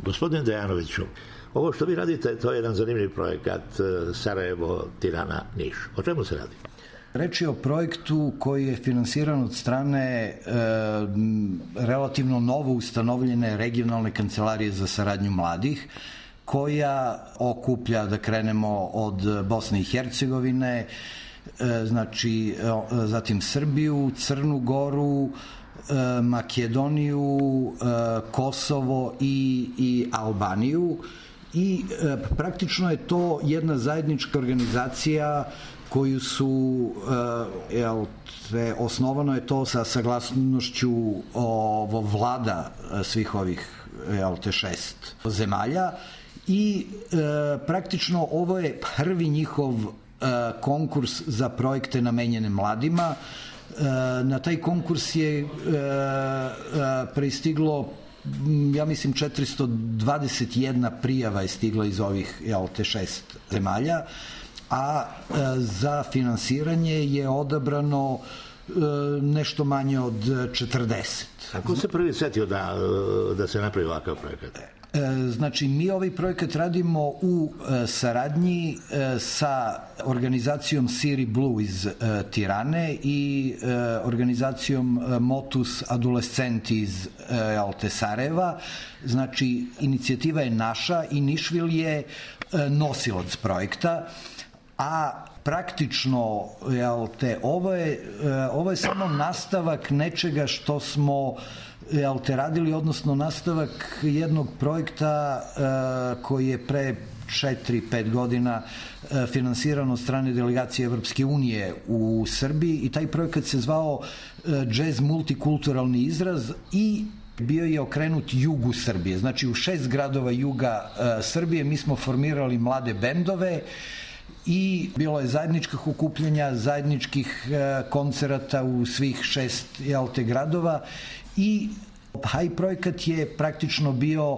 Gospodine Dejanoviću, ovo što vi radite, to je jedan zanimljiv projekat Sarajevo, Tirana, Niš. O čemu se radi? Reč je o projektu koji je finansiran od strane relativno novo ustanovljene regionalne kancelarije za saradnju mladih, koja okuplja, da krenemo od Bosne i Hercegovine, znači zatim Srbiju, Crnu Goru, Makedoniju, Kosovo i Albaniju, i praktično je to jedna zajednička organizacija koju su, osnovano je to sa saglasnošću vlada svih ovih 6 zemalja, i praktično ovo je prvi njihov konkurs za projekte namenjene mladima. Na taj konkurs je pristiglo, ja mislim, 421 prijava je stigla iz ovih 6 zemalja, a za finansiranje je odabrano nešto manje od 40. Kako se prvi setio da se napravi ovakav projekat? Znači, mi ovaj projekat radimo u saradnji sa organizacijom Siri Blue iz Tirane i organizacijom Motus Adolescenti iz Sarajeva. Znači, inicijativa je naša i Nišvil je nosilac projekta, a praktično ovo je samo nastavak nečega što smo radili, odnosno nastavak jednog projekta koji je pre 4-5 godina finansiran od strane delegacije Evropske unije u Srbiji, i taj projekat se zvao Jazz multikulturalni izraz i bio je okrenut jugu Srbije. Znači, u 6 gradova juga Srbije mi smo formirali mlade bendove i bilo je zajedničkih okupljanja, zajedničkih koncerata u svih 6 gradova, i taj projekat je praktično bio,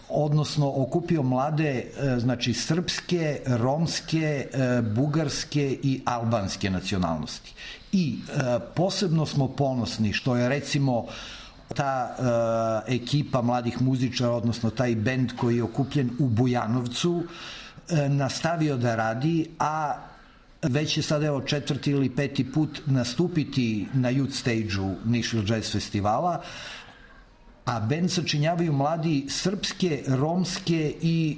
odnosno okupio mlade, znači srpske, romske, bugarske i albanske nacionalnosti. I posebno smo ponosni što je, recimo, ta ekipa mladih muzičara, odnosno taj bend koji je okupljen u Bujanovcu, nastavio da radi, a već je sad 4. ili 5. put nastupiti na Youth Stage-u Nišvil Jazz Festivala, a bend sačinjavaju mladi srpske, romske i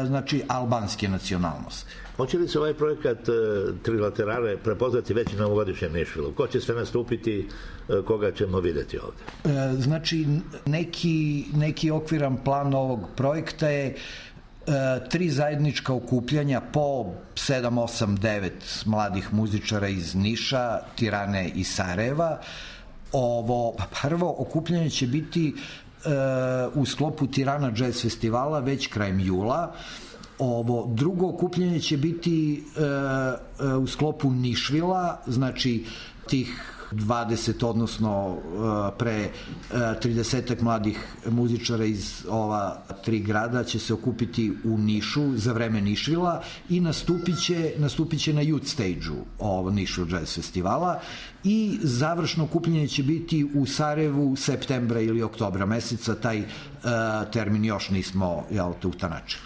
znači albanske nacionalnosti. Hoće li se ovaj projekat Trilaterale prepoznati već na ovogodišnjem Nišvilu? Ko će sve nastupiti, koga ćemo videti ovde? Znači, neki okviran plan ovog projekta je 3 zajednička okupljanja po 7, 8, 9 mladih muzičara iz Niša, Tirane i Sarajeva. Ovo prvo okupljanje će biti u sklopu Tirana Jazz Festivala već krajem jula. Ovo drugo okupljanje će biti u sklopu Nišvila, znači tih 20, odnosno pre 30 mladih muzičara iz ova 3 grada će se okupiti u Nišu za vreme Nišvila i nastupit će na Youth Stage-u Nišvil Jazz Festivala, i završno okupljanje će biti u Sarajevu septembra ili oktobra meseca. Taj termin još nismo utanačili.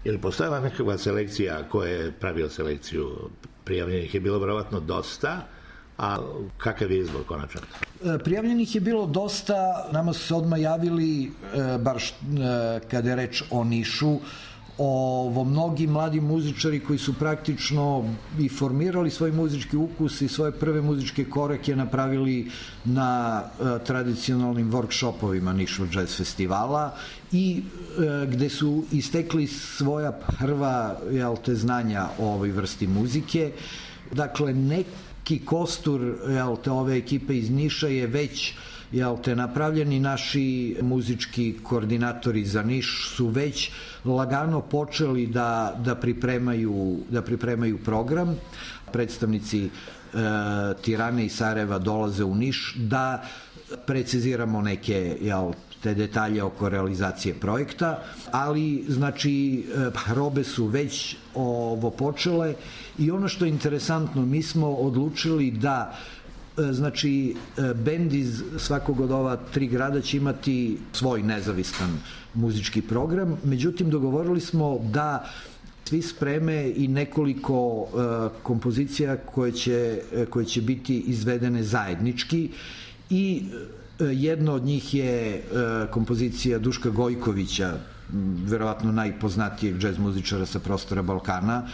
Je li postojala nekakva selekcija? Ko je pravio selekciju? Prijavljenih je bilo verovatno dosta, a kakav je izbor konačan? Prijavljenih je bilo dosta, nama su se odmah javili, bar kada je reč o Nišu, mnogi mladi muzičari koji su praktično i formirali svoj muzički ukus i svoje prve muzičke korake napravili na tradicionalnim workshopovima Nišvil Jazz Festivala, i gde su istekli svoja prva znanja o ovoj vrsti muzike. Dakle, neki kostur ove ekipe iz Niša je već napravljeni. Naši muzički koordinatori za Niš su već lagano počeli da pripremaju program. Predstavnici Tirane i Sarajeva dolaze u Niš da preciziramo neke te detalje oko realizacije projekta, ali znači probe su već počele, i ono što je interesantno, mi smo odlučili da znači bend iz svakog od ova 3 grada će imati svoj nezavistan muzički program, međutim dogovorili smo da svi spreme i nekoliko kompozicija koje će biti izvedene zajednički i jedna od njih je kompozicija Duška Gojkovića, verovatno najpoznatijeg džez muzičara sa prostora Balkana,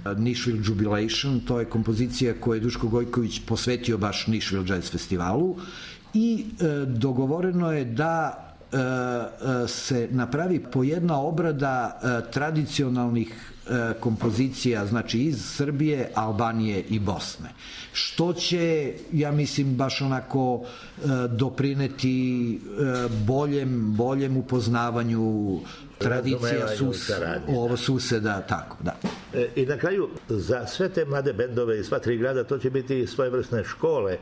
Nashville Jubilation, to je kompozicija koju je Duško Gojković posvetio baš Nashville Jazz Festivalu i dogovoreno je da se napravi po jedna obrada tradicionalnih kompozicija, znači iz Srbije, Albanije i Bosne. Što će, ja mislim, baš onako doprineti boljem upoznavanju tradicija suseda, tako, da. I na kraju, za sve te mlade bendove iz sva 3 grada, to će biti svojevrsne škole,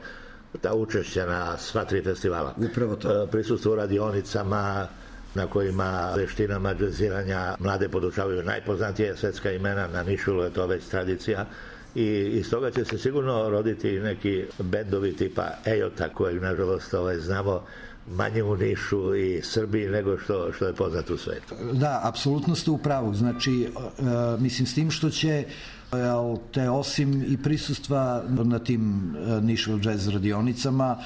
ta učešća na sva 3 festivala. Upravo to. Prisustvo u radionicama na kojima veštinama džeziranja mlade podučavaju najpoznatije svetska imena, na Nišvilu je to već tradicija i iz toga će se sigurno roditi neki bendovi tipa Ejota, kojeg nažalost znamo manje u Nišu i Srbiji nego što je poznat u svetu. Da, apsolutno ste u pravu. Znači, mislim s tim što će te osim i prisustva na tim Nashville Jazz radionicama,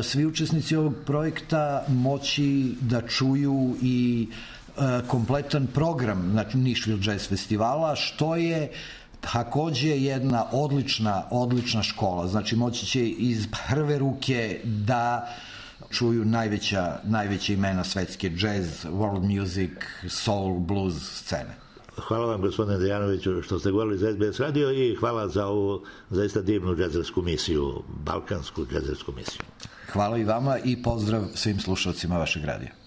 svi učesnici ovog projekta moći da čuju i kompletan program Nashville Jazz Festivala, što je takođe jedna odlična škola. Znači, moći će iz prve ruke da čuju najveća imena svetske jazz, world music, soul, blues scene. Hvala vam, gospodine Dejanoviću, što ste govorili za SBS radio i hvala za ovu zaista divnu džezersku misiju, balkansku džezersku misiju. Hvala i vama i pozdrav svim slušalcima vašeg radija.